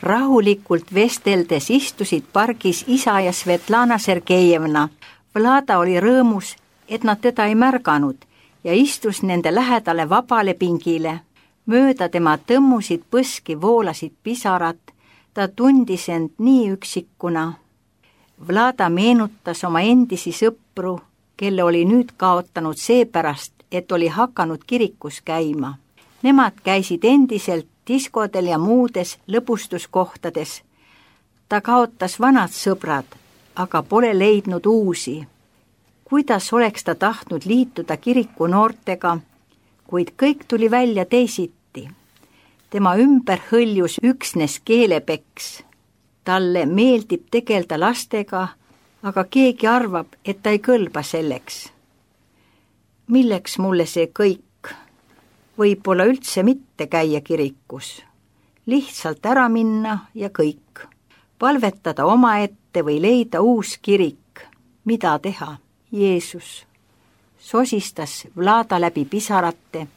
Rahulikult vesteldes istusid pargis isa ja Svetlana Sergejevna. Vlada oli rõõmus, et nad teda ei märganud ja istus nende lähedale vabale pingile. Mööda tema tõmmusid põski voolasid pisarad, ta tundis end nii üksikuna. Vlada meenutas oma endisi sõpru, kelle oli nüüd kaotanud seepärast, et oli hakanud kirikus käima. Nemad käisid endiselt diskodel ja muudes lõbustuskohtades. Ta kaotas vanad sõbrad, aga pole leidnud uusi. Kuidas oleks ta tahtnud liituda kiriku noortega, kuid kõik tuli välja teisiti. Tema ümber hõljus üksnes keelepeks. Talle meeldib tegelda lastega, aga keegi arvab, et ta ei kõlba selleks. Milleks mulle see kõik? Võib-olla üldse mitte käia kirikus. Lihtsalt ära minna ja kõik. Palvetada omaette või leida uus kirik. Mida teha? Jeesus. Sosistas Vlada läbi pisarate.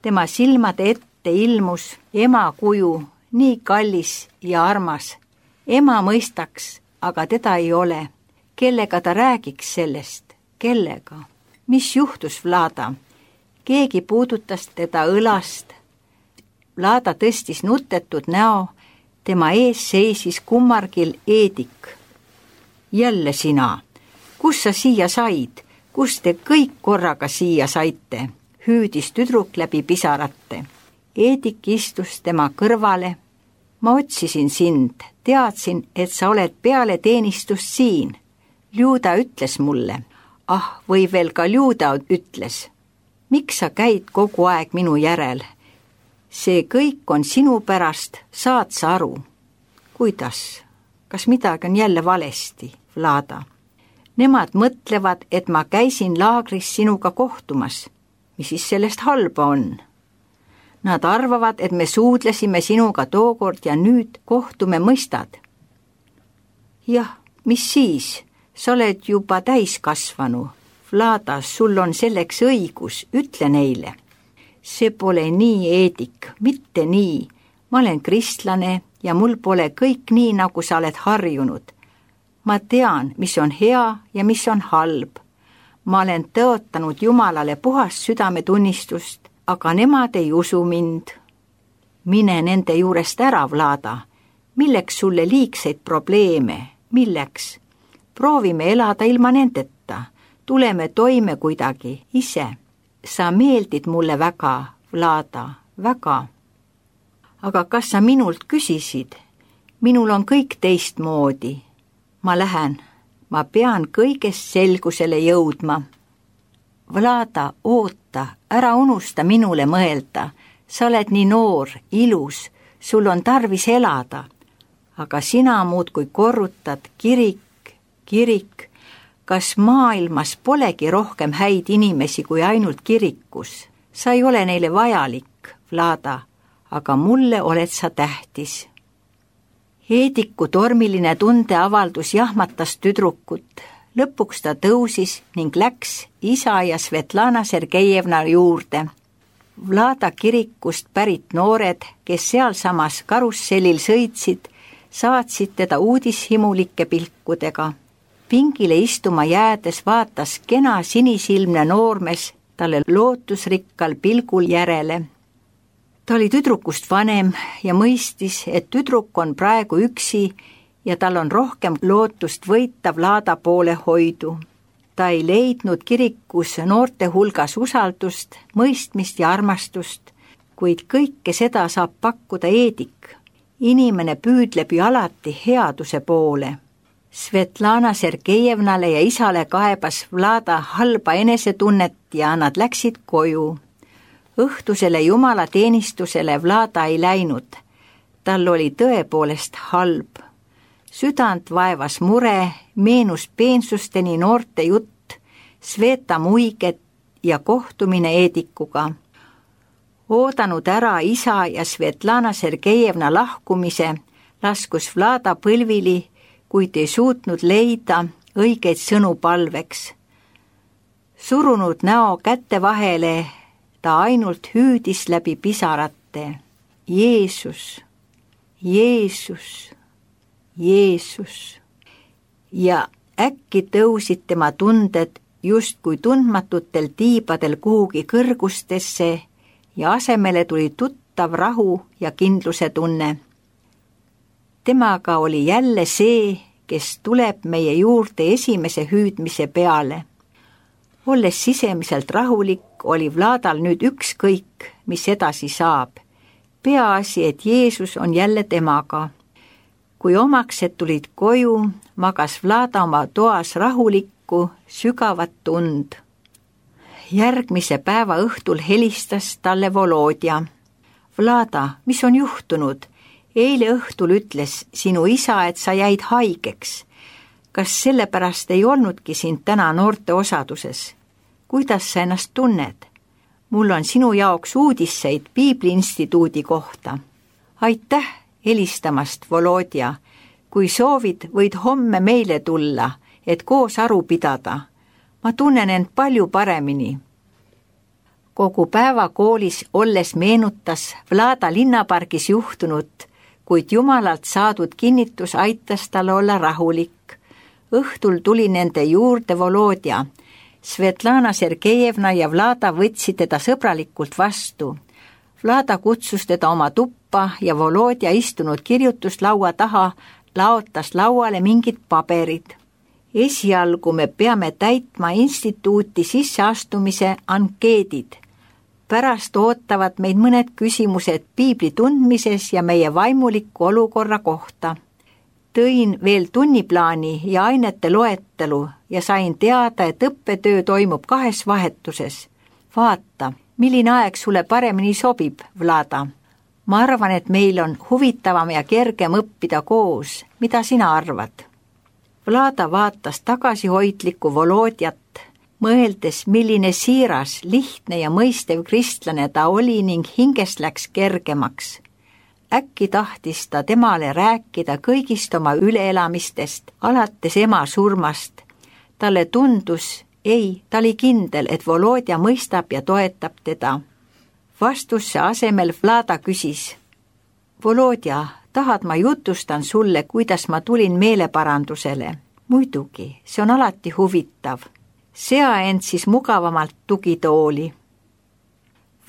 Tema silmade ette ilmus ema kuju, nii kallis ja armas. Ema mõistaks, aga teda ei ole. Kellega ta räägiks sellest? Kellega? Mis juhtus, Vlada? Keegi puudutas teda õlast. Vlada tõstis nutetud näo, tema ees seisis kummargil Eedik. Jälle sina, kus sa siia said? Kus te kõik korraga siia saite? Hüüdis tüdruk läbi pisarate. Eedik istus tema kõrvale. Ma otsisin sind, teadsin, et sa oled peale teenistust siin. Ljuda ütles mulle. Või veel ka Ljuda ütles. Miks sa käid kogu aeg minu järel? See kõik on sinu pärast, saad sa aru? Kuidas? Kas midagi on jälle valesti, Vlada? Nemad mõtlevad, et ma käisin laagris sinuga kohtumas. Mis siis sellest halba on? Nad arvavad, et me suudlesime sinuga tookord ja nüüd kohtume, mõistad? Jah, mis siis? Sa oled juba täiskasvanu. Vlada, sul on selleks õigus, ütle neile. See pole nii, Eedik, mitte nii. Ma olen kristlane ja mul pole kõik nii, nagu sa oled harjunud. Ma tean, mis on hea ja mis on halb. Ma olen tõotanud Jumalale puhast südametunnistust, aga nemad ei usu mind. Mine nende juurest ära, Vlada. Milleks sulle liigseid probleeme? Milleks? Proovime elada ilma nendeta. Tuleme toime kuidagi, ise. Sa meeldid mulle väga, Vlada, väga. Aga kas sa minult küsisid? Minul on kõik teistmoodi. Ma lähen. Ma pean kõigest selgusele jõudma. Vlada, oota, ära unusta minule mõelda. Sa oled nii noor, ilus, sul on tarvis elada. Aga sina muudkui korrutad kirik. Kas maailmas polegi rohkem häid inimesi kui ainult kirikus? Sa ei ole neile vajalik, Vlada, aga mulle oled sa tähtis. Eediku tormiline tundeavaldus jahmatas tüdrukut. Lõpuks ta tõusis ning läks isa ja Svetlana Sergejevna juurde. Vlada kirikust pärit noored, kes sealsamas karussellil sõitsid, saatsid teda uudishimulike pilkudega. Pingile istuma jäädes vaatas kena sinisilmne noormes talle lootusrikkal pilgul järele. Ta oli tüdrukust vanem ja mõistis, et tüdruk on praegu üksi ja tal on rohkem lootust võita Vlada poole hoidu. Ta ei leidnud kirikus noorte hulgas usaldust, mõistmist ja armastust, kuid kõike seda saab pakkuda Eedik. Inimene püüdleb ju alati headuse poole. Svetlana Sergejevnale ja isale kaebas Vlada halba enesetunnet ja nad läksid koju. Õhtusele jumalateenistusele Vlada ei läinud. Tal oli tõepoolest halb. Südant vaevas mure, meenus peensusteni noorte jutt, Sveta muiget ja kohtumine Eedikuga. Oodanud ära isa ja Svetlana Sergejevna lahkumise, laskus Vlada põlvili, kuid ei suutnud leida õigeid sõnu palveks. Surunud näo kätte vahele, ta ainult hüüdis läbi pisarate. Jeesus, Jeesus, Jeesus. Ja äkki tõusid tema tunded justkui tundmatutel tiibadel kuhugi kõrgustesse ja asemele tuli tuttav rahu ja kindluse tunne. Temaga oli jälle see, kes tuleb meie juurde esimese hüüdmise peale. Olles sisemiselt rahulik, oli Vladal nüüd ükskõik, mis edasi saab. Peaasi, et Jeesus on jälle temaga. Kui omaksed tulid koju, magas Vlada oma toas rahulikku, sügavat tund. Järgmise päeva õhtul helistas talle Volodja. Vlada, mis on juhtunud? Eile õhtul ütles sinu isa, et sa jäid haigeks. Kas sellepärast ei olnudki sind täna noorte osaduses? Kuidas sa ennast tunned? Mul on sinu jaoks uudiseid Piibli instituudi kohta. Aitäh helistamast, Volodja. Kui soovid, võid homme meile tulla, et koos aru pidada. Ma tunnen end palju paremini. Kogu päeva koolis olles meenutas Vlada linnapargis juhtunut, kuid Jumalalt saadud kinnitus aitas tal olla rahulik. Õhtul tuli nende juurde Volodja. Svetlana Sergejevna ja Vlada võtsid teda sõbralikult vastu. Vlada kutsus teda oma tuppa ja Volodja istunud kirjutuslaua taha laotas lauale mingid paberid. Esialgu me peame täitma instituuti sisseastumise ankeedid. Pärast ootavad meid mõned küsimused Piibli tundmises ja meie vaimuliku olukorra kohta. Tõin veel tunniplaani ja ainete loetelu ja sain teada, et õppetöö toimub 2 vahetuses. Vaata, milline aeg sulle paremini sobib, Vlada. Ma arvan, et meil on huvitavam ja kergem õppida koos. Mida sina arvad? Vlada vaatas tagasihoidlikku Volodjat, mõeldes, milline siiras, lihtne ja mõistev kristlane ta oli ning hingest läks kergemaks. Äkki tahtis ta temale rääkida kõigist oma üleelamistest, alates ema surmast. Talle tundus, ta oli kindel, et Volodja mõistab ja toetab teda. Vastusse asemel Vlada küsis. Volodja, tahad ma jutustan sulle, kuidas ma tulin meeleparandusele? Muidugi, see on alati huvitav. Sea end siis mugavamalt tugitooli.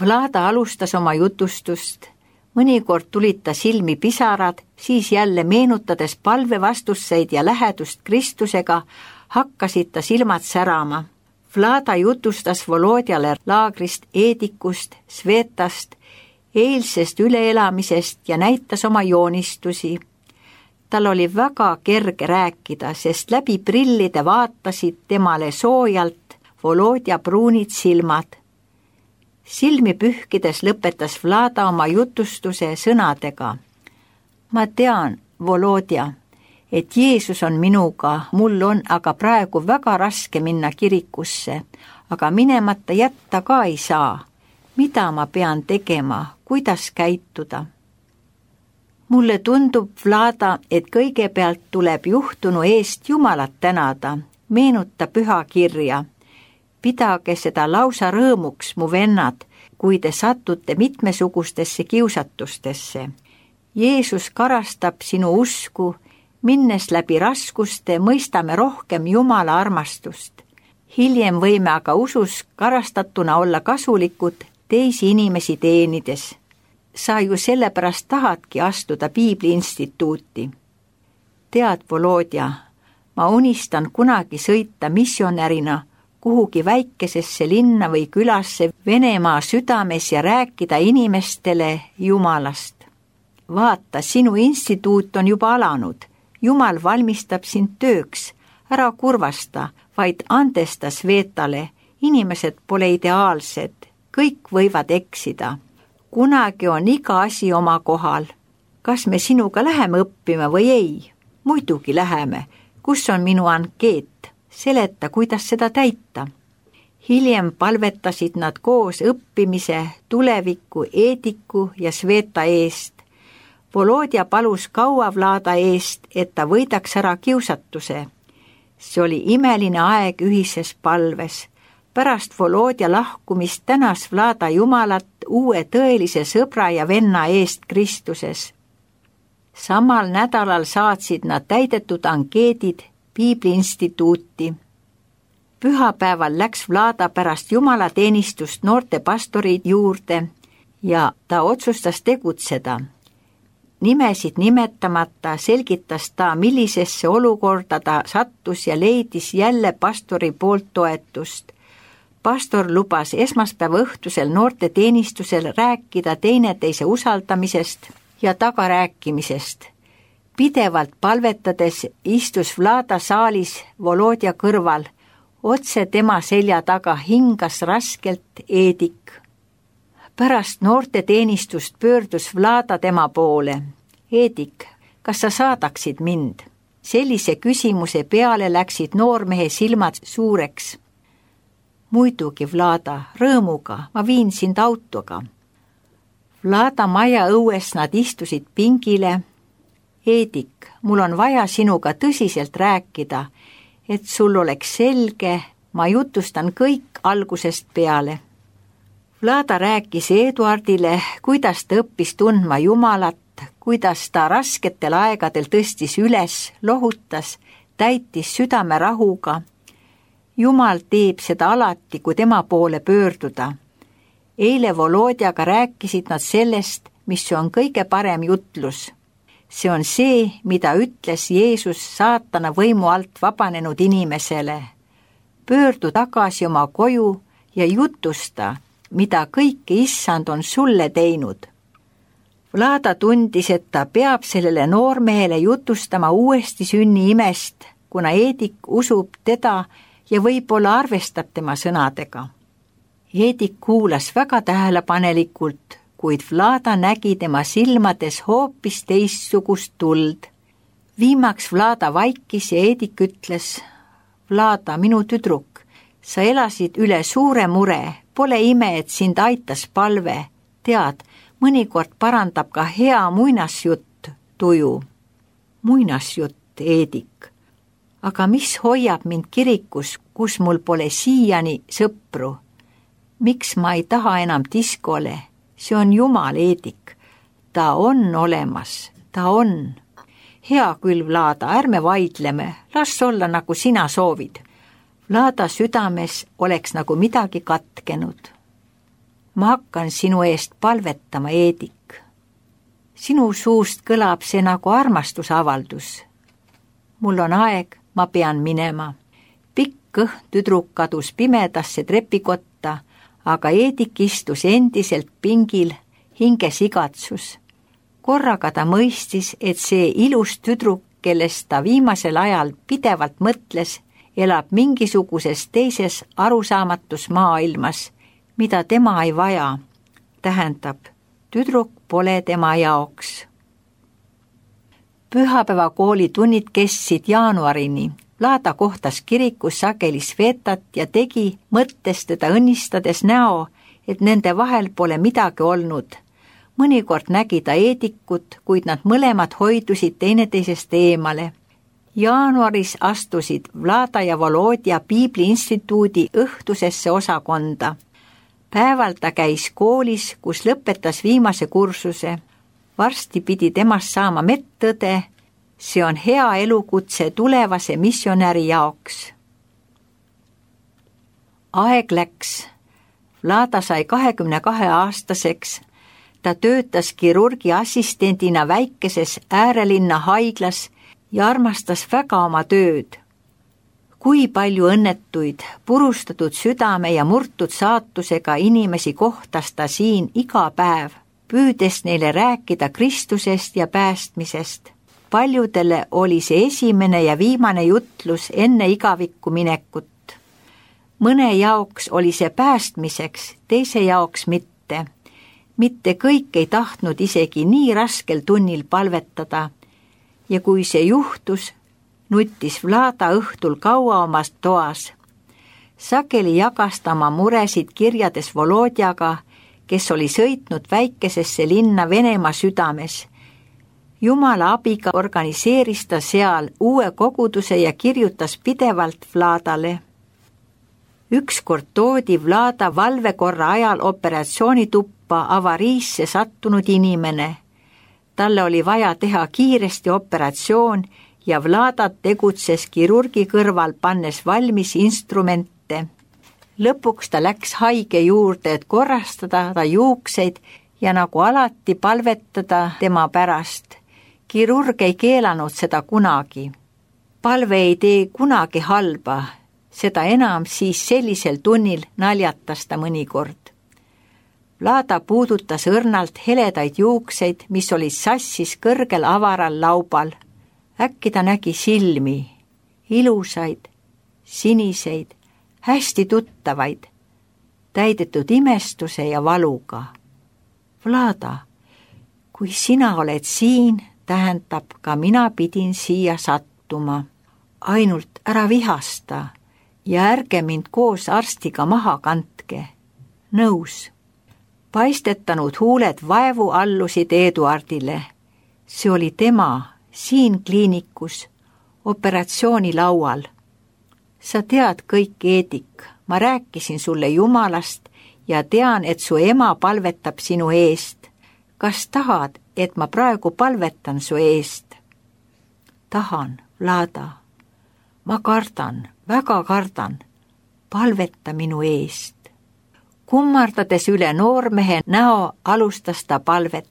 Vlada alustas oma jutustust. Mõnikord tulid ta silmi pisarad, siis jälle meenutades palvevastusseid ja lähedust Kristusega, hakkasid ta silmad särama. Vlada jutustas Volodjale laagrist, Eedikust, Svetast, eilsest üleelamisest ja näitas oma joonistusi. Tal oli väga kerge rääkida, sest läbi prillide vaatasid temale soojalt Volodja pruunid silmad. Silmi pühkides lõpetas Vlada oma jutustuse sõnadega. Ma tean, Volodja, et Jeesus on minuga, mul on aga praegu väga raske minna kirikusse, aga minemata jätta ka ei saa. Mida ma pean tegema, kuidas käituda? Mulle tundub, Vlada, et kõigepealt tuleb juhtunu eest Jumalat tänada, meenuta pühakirja. Pidage seda lausa rõõmuks, mu vennad, kui te satute mitmesugustesse kiusatustesse. Jeesus karastab sinu usku, minnes läbi raskuste mõistame rohkem Jumala armastust. Hiljem võime aga usus karastatuna olla kasulikud teisi inimesi teenides. Sa ju sellepärast tahadki astuda Piibli instituuti. Tead, Volodja, ma unistan kunagi sõita missionärina kuhugi väikesesse linna või külasse Venemaa südames ja rääkida inimestele Jumalast. Vaata, sinu instituut on juba alanud. Jumal valmistab sind tööks. Ära kurvasta, vaid andesta Svetale. Inimesed pole ideaalsed. Kõik võivad eksida. Kunagi on iga asi oma kohal. Kas me sinuga läheme õppima või ei? Muidugi läheme. Kus on minu ankeet? Seleta, kuidas seda täita. Hiljem palvetasid nad koos õppimise, tuleviku, Eediku ja Sveta eest. Volodja palus kaua Vlada eest, et ta võidaks ära kiusatuse. See oli imeline aeg ühises palves. Pärast Volodja lahkumist tänas Vlada Jumalat uue tõelise sõbra ja venna eest Kristuses. Samal nädalal saatsid nad täidetud ankeedid Piibli instituuti. Pühapäeval läks Vlada pärast jumalateenistust noorte pastori juurde ja ta otsustas tegutseda. Nimesid nimetamata selgitas ta, millisesse olukorda ta sattus ja leidis jälle pastori poolt toetust. Pastor lubas esmaspäeva õhtusel noorte teenistusel rääkida teineteise usaldamisest ja tagarääkimisest. Pidevalt palvetades istus Vlada saalis Volodja kõrval, otse tema selja taga hingas raskelt Eedik. Pärast noorte teenistust pöördus Vlada tema poole. Eedik, kas sa saadaksid mind? Sellise küsimuse peale läksid noormehe silmad suureks. Muidugi, Vlada, rõõmuga, ma viin sind autoga. Vlada maja õues nad istusid pingile. Eedik, mul on vaja sinuga tõsiselt rääkida, et sul oleks selge, ma jutustan kõik algusest peale. Vlada rääkis Eduardile, kuidas ta õppis tundma Jumalat, kuidas ta rasketel aegadel tõstis üles, lohutas, täitis südame rahuga. Jumal teeb seda alati, kui tema poole pöörduda. Eile Volodjaga rääkisid nad sellest, mis on kõige parem jutlus. See on see, mida ütles Jeesus saatana võimu alt vabanenud inimesele. Pöördu tagasi oma koju ja jutusta, mida kõike Issand on sulle teinud. Vlada tundis, et ta peab sellele noormehele jutustama uuesti sünni imest, kuna Eedik usub teda ja võib-olla arvestab tema sõnadega. Eedik kuulas väga tähelepanelikult, kuid Vlada nägi tema silmades hoopis teistsugust tuld. Viimaks Vlada vaikis ja Eedik ütles, Vlada, minu tüdruk, sa elasid üle suure mure, pole ime, et sind aitas palve. Tead, mõnikord parandab ka hea muinasjutt tuju. Muinasjutt, Eedik. Aga mis hoiab mind kirikus, kus mul pole siiani sõpru? Miks ma ei taha enam diskole? See on Jumal, Eedik. Ta on olemas, ta on. Hea küll, Vlada, ärme vaidleme, las olla nagu sina soovid. Vlada südames oleks nagu midagi katkenud. Ma hakkan sinu eest palvetama, Eedik. Sinu suust kõlab see nagu armastusavaldus. Mul on aeg, ma pean minema. Pikk kõht tüdruk kadus pimedasse trepikotta, aga Eedik istus endiselt pingil, hinges igatsus. Korraga ta mõistis, et see ilus tüdruk, kellest ta viimasel ajal pidevalt mõtles, elab mingisuguses teises arusaamatus maailmas, mida tema ei vaja. Tähendab, tüdruk pole tema jaoks. Pühapäeva kooli tunnid kestsid jaanuarini. Vlada kohtas kirikus sageli Svetat ja tegi mõttes teda õnnistades näo, et nende vahel pole midagi olnud. Mõnikord nägi ta Eedikut, kuid nad mõlemad hoidusid teineteisest eemale. Jaanuaris astusid Vlada ja Volodja Piibli instituudi õhtusesse osakonda. Päeval ta käis koolis, kus lõpetas viimase kursuse. Varsti pidi temast saama medõde. See on hea elukutse tulevase missionäri jaoks. Aeg läks. Vlada sai 22-aastaseks. Ta töötas kirurgi assistendina väikeses äärelinna haiglas ja armastas väga oma tööd. Kui palju õnnetuid, purustatud südame ja murtud saatusega inimesi kohtas ta siin iga päev, püüdes neile rääkida Kristusest ja päästmisest. Paljudele oli see esimene ja viimane jutlus enne igavikku minekut. Mõne jaoks oli see päästmiseks, teise jaoks mitte. Mitte kõik ei tahtnud isegi nii raskel tunnil palvetada. Ja kui see juhtus, nuttis Vlada õhtul kaua omas toas. Sageli jagas ta oma muresid kirjades Volodjaga, kes oli sõitnud väikesesse linna Venemaa südames. Jumala abiga organiseeris ta seal uue koguduse ja kirjutas pidevalt Vladale. Ükskord toodi Vlada valvekorra ajal operatsioonituppa avariisse sattunud inimene. Talle oli vaja teha kiiresti operatsioon ja Vlada tegutses kirurgi kõrval, pannes valmis instrumente. Lõpuks ta läks haige juurde, et korrastada ta juukseid ja nagu alati palvetada tema pärast. Kirurg ei keelanud seda kunagi. Palve ei tee kunagi halba, seda enam siis sellisel tunnil naljatas ta mõnikord. Vlada puudutas õrnalt heledaid juukseid, mis olid sassis kõrgel avaral laubal. Äkki ta nägi silmi, ilusaid, siniseid, hästi tuttavaid, täidetud imestuse ja valuga. Vlada, kui sina oled siin, tähendab ka mina pidin siia sattuma. Ainult ära vihasta ja ärge mind koos arstiga maha kandke. Nõus. Paistetanud huuled vaevu allusid Eduardile. See oli tema siin kliinikus, operatsioonilaual. Sa tead kõik, Eedik, ma rääkisin sulle Jumalast ja tean, et su ema palvetab sinu eest. Kas tahad, et ma praegu palvetan su eest? Tahan, Vlada. Ma kardan, väga kardan. Palveta minu eest. Kummardades üle noormehe näo alustas ta palvet.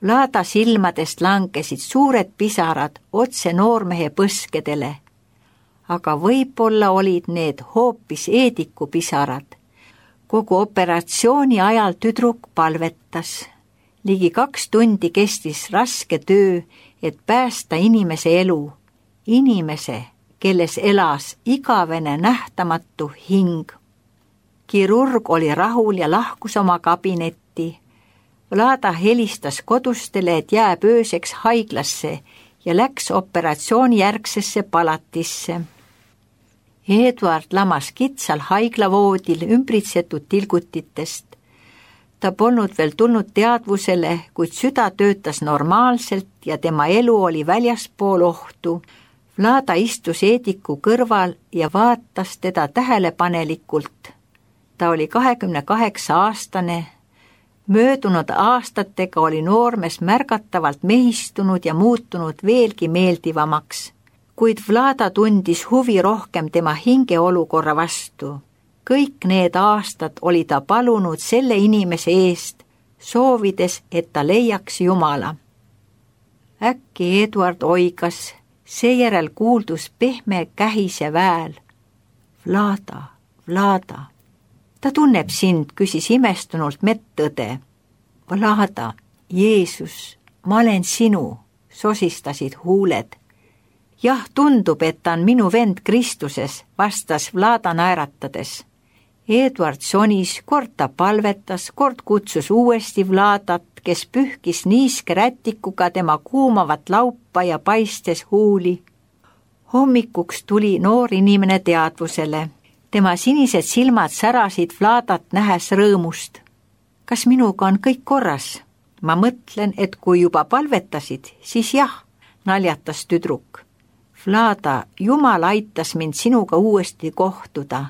Vlada silmadest langesid suured pisarad otse noormehe põskedele. Aga võib-olla olid need hoopis Eediku pisarad. Kogu operatsiooni ajal tüdruk palvetas. Ligi 2 tundi kestis raske töö, et päästa inimese elu. Inimese, kelles elas igavene nähtamatu hing. Kirurg oli rahul ja lahkus oma kabinetti. Vlada helistas kodustele, et jääb ööseks haiglasse ja läks operatsioonijärgsesse palatisse. Eduard lamas kitsal haiglavoodil ümbritsetud tilgutitest. Ta polnud veel tulnud teadvusele, kuid süda töötas normaalselt ja tema elu oli väljaspool ohtu. Vlada istus Eediku kõrval ja vaatas teda tähelepanelikult. Ta oli 28-aastane. Möödunud aastatega oli noormees märgatavalt mehistunud ja muutunud veelgi meeldivamaks, kuid Vlada tundis huvi rohkem tema hingeolukorra vastu. Kõik need aastad oli ta palunud selle inimese eest, soovides, et ta leiaks Jumala. Äkki Eduard oigas, seejärel kuuldus pehme kähise väel. Vlada, Vlada. Ta tunneb sind, küsis imestunult medõde. Vlada, Jeesus, ma olen sinu, sosistasid huuled. Jah, tundub, et ta on minu vend Kristuses, vastas Vlada naeratades. Eduard sonis, kord ta palvetas, kord kutsus uuesti Vladat, kes pühkis niiske rätikuga tema kuumavat laupa ja paistes huuli. Hommikuks tuli noor inimene teadvusele. Tema sinised silmad särasid Vladat nähes rõõmust. Kas minuga on kõik korras? Ma mõtlen, et kui juba palvetasid, siis jah, naljatas tüdruk. Vlada, Jumal aitas mind sinuga uuesti kohtuda.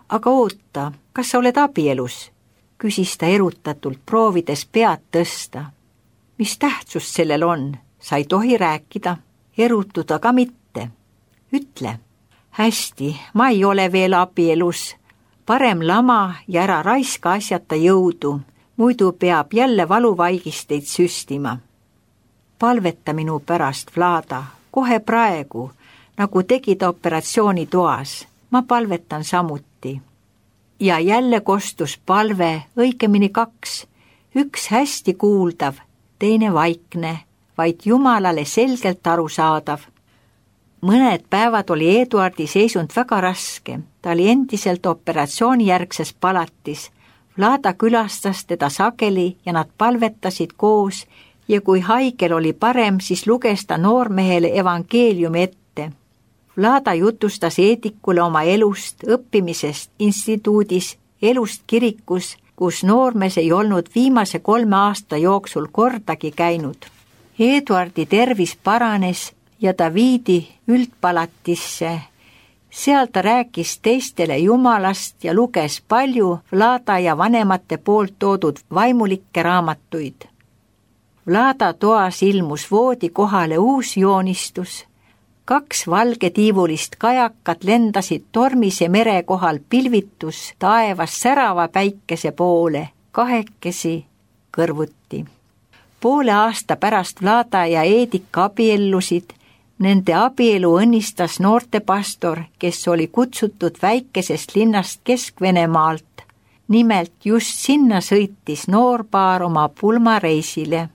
Aga oota, kas sa oled abielus? Küsis ta erutatult, proovides pead tõsta. Mis tähtsus sellel on? Sa ei tohi rääkida, erutuda ka mitte. Ütle. Hästi, ma ei ole veel abielus. Parem lama ja ära raiska asjata jõudu, muidu peab jälle valuvaigisteid süstima. Palveta minu pärast, Vlada, kohe praegu, nagu tegid operatsioonitoas. Ma palvetan samuti. Ja jälle kostus palve, õigemini 2. Üks hästi kuuldav, teine vaikne, vaid Jumalale selgelt arusaadav. Mõned päevad oli Eduardi seisund väga raske. Ta oli endiselt operatsioonijärgses palatis. Vlada külastas teda sageli ja nad palvetasid koos ja kui haigel oli parem, siis luges ta noormehele evangeeliumi ette. Vlada jutustas Eedikule oma elust, õppimisest instituudis, elust kirikus, kus noormees ei olnud viimase 3 aasta jooksul kordagi käinud. Eduardi tervis paranes ja ta viidi üldpalatisse. Seal ta rääkis teistele Jumalast ja luges palju Vlada ja vanemate poolt toodud vaimulikke raamatuid. Vlada toas ilmus voodi kohale uus joonistus. 2 valgetiivulist kajakat lendasid tormise mere kohal pilvitus taevas särava päikese poole, 2 kõrvuti. Poole aasta pärast Vlada ja Edika abiellusid. Nende abielu õnnistas noortepastor, kes oli kutsutud väikesest linnast Kesk-Venemaalt. Nimelt just sinna sõitis noorpaar oma pulmareisile.